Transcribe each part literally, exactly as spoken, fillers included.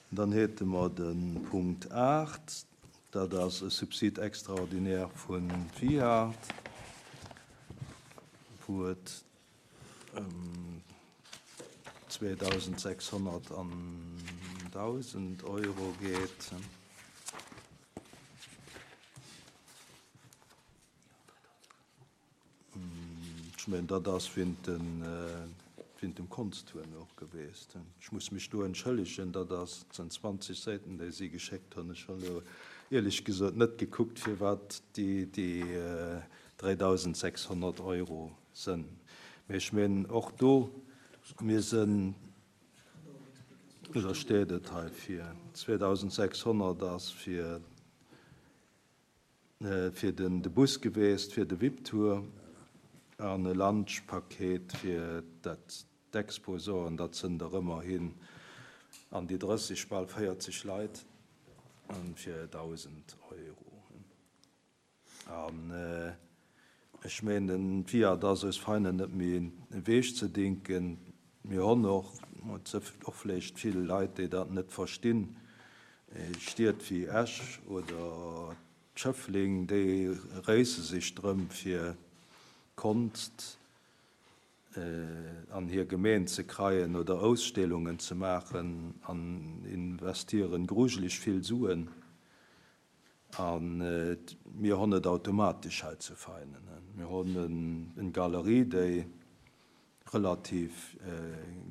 Dann hätte mer de Punkt aacht, dat ass e Subside extraordinaire vun Viart, wou et ëm zweedausendsechshonnert an dausend Euro geet. Ech mengen, dat ass wéint dem Konsthuerner och gewiescht. Ech muss mech do entschëllegen, dat ass, et sinn zwanzeg Säiten, déi si geschéckt hunn. Ech hunn elo éierlech gesot net gekuckt, firwat déi dräidausendsechshonnert Euro sënn. Mee ech mengen, och do, mir sënn, oder steet et hei vir, zweedausendsechshonnert ass fir fir den de Bus geweest, fir de V I P-Tour an e Lunchpaket fir dat d'Exposanten, dat sënn der ëmmerhin an déi drësseg, bal véierzeg Leit, fir dausend Euro. An ech mengen, d'Viart ass aus Veinen net méi ewech ze denken. Mir hunn och, och vläicht vill Leit, déi dat net verstinn, Stied wéi Esch oder Schëffleng, déi réisse sech drëm, fir Konst an hir Gemeen ze kreien oder Ausstellungen ze maachen an investieren grujeleg vill Suen. An mir hunn et automatesch hei zu Veinen. Mir hunn eng Galerie, déi relativ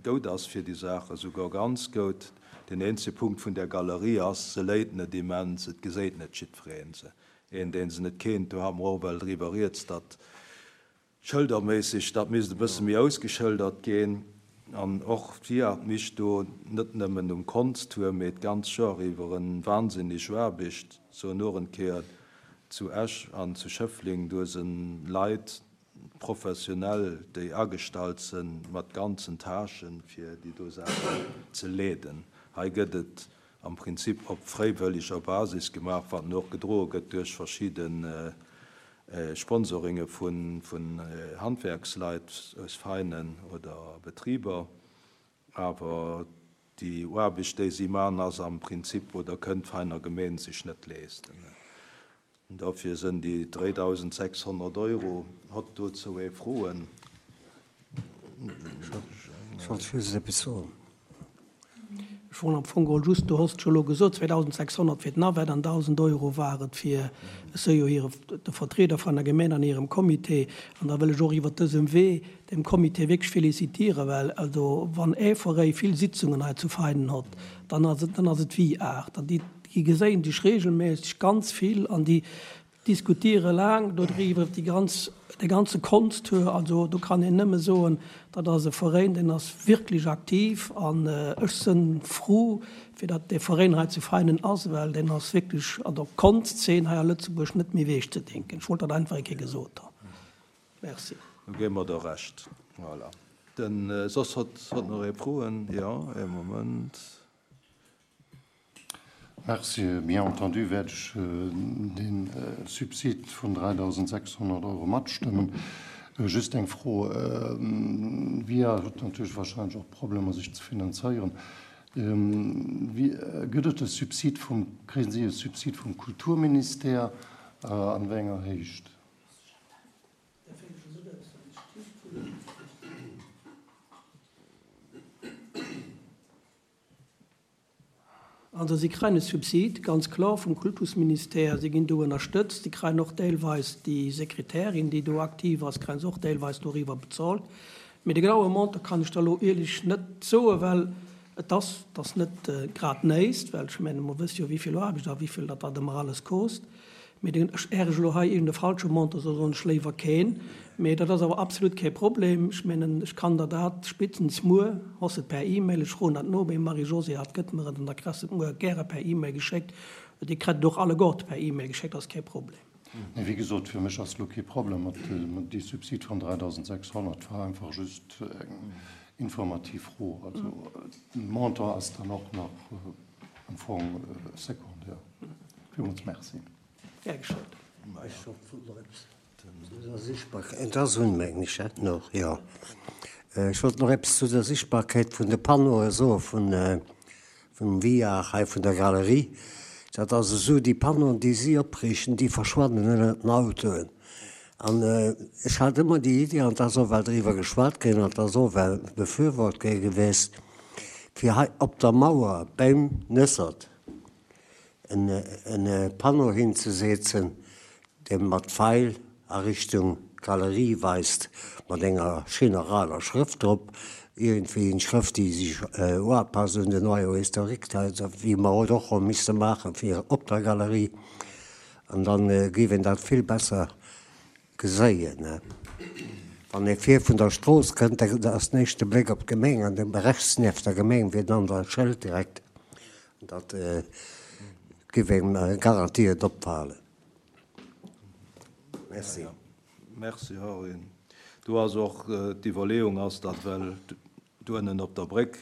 goud ass fir déi Saache, souguer ganz goud. Den eenzege Punkt vun der Galerie ass, se léit net immens, et geséit net jiddwereen se. Een, deen se net kennt, do hat mer och well driwwer rieds, datt schëlderméisseg dat misst e bësse méi ausgeschëldert ginn. An och d'Viart mischt do net nëmmen um Konsttour, mee d'ganz Joer iwwer en wahnsinneg Aarbecht. Soen och en Kéier zu Esch an zu Schëffleng, do sinn Leit professionell, déi agestallt sinn, mat ganzen Tâchen, fir déi do Saachen ze leeden. Hei gëtt et am Prinzip op fräiwëlleger Basis gemaach, wat och gedroe gëtt duerch verschidde Sponsoringe vun vun Handwerksleit aus Veinen oder Betriber. Awer déi Aarbecht, déi si maachen, ass am Prinzip oder kënnt d'Veiner Gemeen sech net leeschten. Dofir sënn déi dräidausendsechshonnert Euro. Hott dozou ee Froen? Ech wollt just eppes soen. Ech wollt am Fong geholl just, du hoss et scho elo gesot, zweedausendsechshonnert fir d'Navette an dausend Euro war et fir, ech soe jo hire, de Vertrieder vun der Gemeen an hirem Comité. An da wëll ech och iwwert dësem Wee dem Comité wierklech félicitéieren, well also wann ee Veräi vill Sitzungen hei zu Veinen hott, dann ass et, dann ass et d'Viart. An déi, déi geséien sech regelméisseg ganz vill an déi diskutiere laang dodriwwer, déi ganz, de ganze Konsttour. Also do kann een nëmme soen, dat ass e Veräin, deen ass wierklech aktiv an ech sënn frou, fir datt dee Veräin hei zu Veinen ass, well deen ass wierklech an der Konstzeen hei a Lëtzebuerg net méi ewech ze denken. Ech wollt dat einfach eng Kéier gesot hunn. Merci. Do gi mer der Recht. Voilà. Den, soss hott, hott nach ee Froen? Jo, ee Moment. Merci. Bien entendu wäert ech dee Subsid vun dräidausendsechshonnert Euro matstëmmen. Just eng Fro, V I A huet natierlech wahrscheinlech och Problemer sech ze finanzéieren. Wéi gëtt et e Subsid vum, kréien si e Subsid vum Kulturministère, an wéi enger Héicht? Also si kréien e Subsid, ganz kloer, vum Kultusministère. Si ginn do ënnerstëtzt. Si kréien och deelweis, déi Sekretärin, déi do aktiv ass, kréie se och deelweis doriwwer bezolt. Mee de genaue Montant kann ech der elo ierlech net soen, well et ass, et ass net grad néist, well ech mengen, mer wësse jo, wéi vill Aarbecht a wéi vill dat dat ëmmer alles kost. Mee den, ech, är ech elo hei iergend e falsche Montant soen, soen ech léiwer keen. Mee dat ass awer absolut kee Problem. Ech mengen, ech kann der dat spéitstens muer, hoss et per E-Mail, ech froen dat no beim Marie-Josée, hat gëtt mer et an da kriss de et muer gäre per E-Mail geschéckt. Dir kritt et och alleguerte per E-Mail geschéckt, ass kee Problem. Nee, wéi gesot, fir mech ass elo kee Problem mat dee Subsid vun dräidausendsechshonnert. Et war einfach just eng informativ Fro. Also de Montant ass dann och nach am Fong secondaire. Villmools merci. Gär geschéckt. Ech wollt nach eppes zu der Sichtbarkeit, et ass un, mengen ech, dat nach, jo. Ech wollt nach eppes zu der Sichtbarkeit vun de Panneaue soe vun, vum Via hei vun der Galerie. Dat ass esou, déi Panneauen, déi si opriichten, déi verschwannen ënnert den Autoen. An ech hat ëmmer déi Iddi, an et ass och well driwwer geschwat ginn an et ass och well befürwort gi gewiescht, fir hei op der Mauer beim Nëssert en Panneau hinzesetzen, dee mat Feil a Richtung Galerie weist, mat enger schéiner aler Schrëft drop, iergendwéi eng Schrëft, déi sech uapasst un den Noyau historique, wéi mer et och hu misse maache fir op der Galerie. An da géif een dat vill besser geséien. Wann ee vir vun der Strooss kënnt, da ass den éischte Bléck op d'Gemeng an de rechts nieft der Gemeng wier dann dat Schëld direkt. Dat géif engem garantiert opfalen. Merci. Merci, Henri. Do ass och d'Iwwerleeung ass, datt well doënnen op der Bréck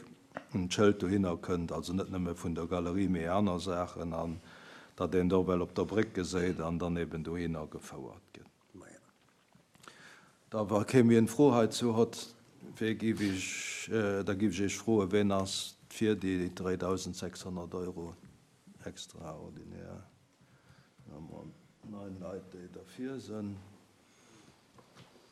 en Schëld dohinner kënnt, also net nëmme vun der Galerie, mee aner Saachen, an datt een do well op der Bréck geséit an dann eben dohinner gefouert gëtt. Da wa kee méi eng Fro heizou hott, wee giff ech, da giff ech Iech froen, ween ass fir déi dräidausendsechshonnert Euro extraordinär? Da hu mer neun Leit, déi derfir sinn.